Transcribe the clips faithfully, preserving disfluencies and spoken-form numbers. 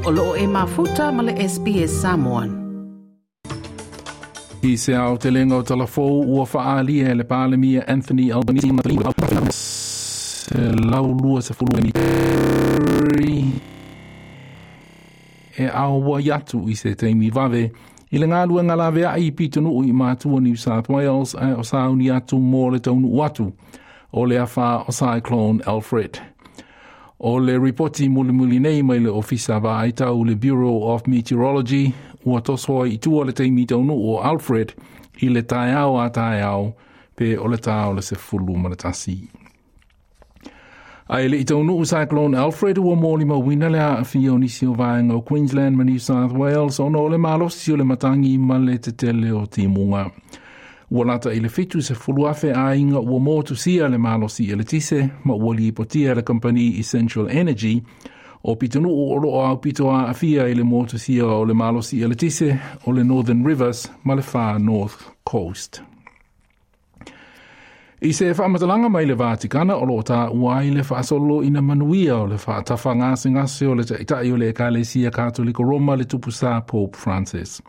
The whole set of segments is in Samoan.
O loo e mafuta ma le S B S Samoan. I se ao te lenga o talafou ua whaalia le Palemia Anthony Albanese se laulua se fulu e au wa iatu i se teimi vave i le ngā lave ai pitonuu i mātua New South Wales a o sauni atu mō le taunu atu o le awha o Cyclone Alfred. O le ripoti mulimuli nei mai le ofisa vaaitau le Bureau of Meteorology ua tosoa i tua le teimi taunu o Alfred i le taeao a taeao pe o le tao le se fulu ma le tasi. Ai le i taunu Cyclone Alfred ua mōli mawina le aafia o nisi o vaenga o Queensland ma New South Wales ona o le malosi o le matangi ma le tetele o timunga. Ua lata i le fitu se fuluafe a inga ua motu sia le malosi e le tise ma ua lipotia le company Essential Energy o pitunu o roa au pito a afia i le motu sia o le malosi e le tise o le Northern Rivers ma le Far North Coast. I se whaamatalanga mai le Vatikana o lo tā ua i le whaasolo ina manuia o le whaatafa ngase ngase o le taitai o le Ekalesia Katoliko Roma le tupusa Pope Francis.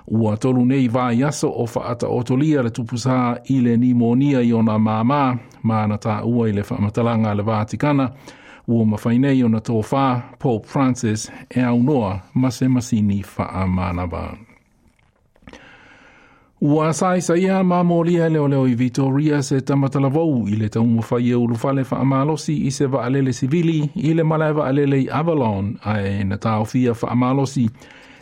Ua tolu nei vai aso o whaata otolia le tupusa i le nimonia i ona māmā, maana tā ua i le whaamatalanga le Vatikana, ua mawhai nei ona tōwhā Pope Francis e au noa ma se masini whaamanava. Ua sai saia mamolia leo leo i Victoria se tamatalavou i le taumawhai e ulufale whaamalosi i se vaalele sivili i le malae vaalele i Avalon ae na taofia whaamalosi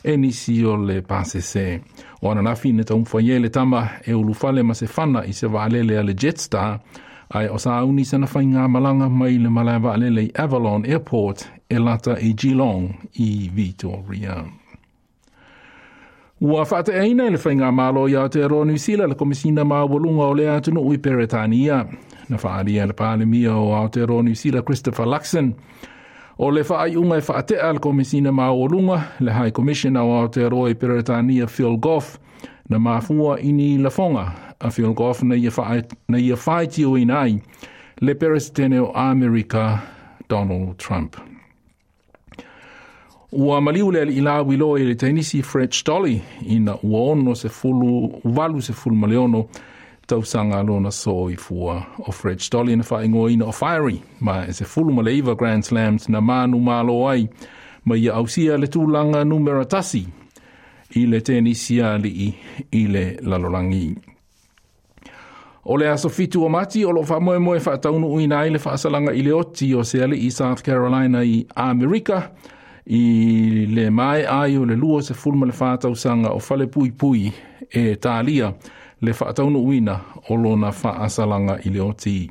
e nisi o le pasese. O ananafi na taumawhai e le tama e ulufale ma se whana i se vaalele a le Jetstar ae o sauni sana whai ngā malanga mai le malae vaalele i Avalon Airport e lata i Geelong i Victoria. Ua whaateaina i le whainga malo i Aotearoa New Zealand le komisina mawalunga o le atunuu i Peretania. Na whaaria le Palemia o Aotearoa New Zealand Christopher Luxon. O le whaaiunga e whaatea le komisina mawalunga le High Commissioner o Aotearoa i Peretania Phil Goff na mafua ini lafonga a Phil Goff na ia whaitio inai le Peresitene o Amerika Donald Trump. Ua maliu le ali ila wilo i le tenisi Fred Stolle ina ua ono se fulu, walu se fulu maleono tausanga lona soifua o Fred Stolle na whaingoa o Fiery ma e se fulu maleiva Grand Slams na manu malo ai ma ia ausia le tūlanga numera tasi i le tenisi ali i le lalolangi. O le aso fitu o mati o lo whamoe moe whaataunu uina i le whaasalanga i le oti o se ali i South Carolina i Amerika i le mai ai o le lua se fulma le whātausanga o whale pui pui e tālia le whaataunu uina o lona whaasalanga i le oti.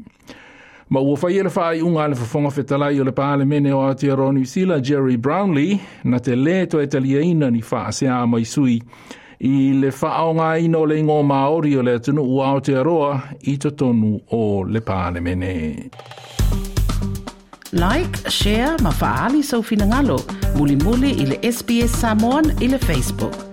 Ma ua whai le whaai unga le whafonga whetalai o le Palemene o Aotearoa New Zealand Jerry Brownlee na te le to e taliaina ni whaasea mai sui i le whaonga ina o le ingo Māori o le atunu o Aotearoa i totonu o le Palemene. Like, share, ma faali sau finangalo, muli muli i le S B S Samoan i le Facebook.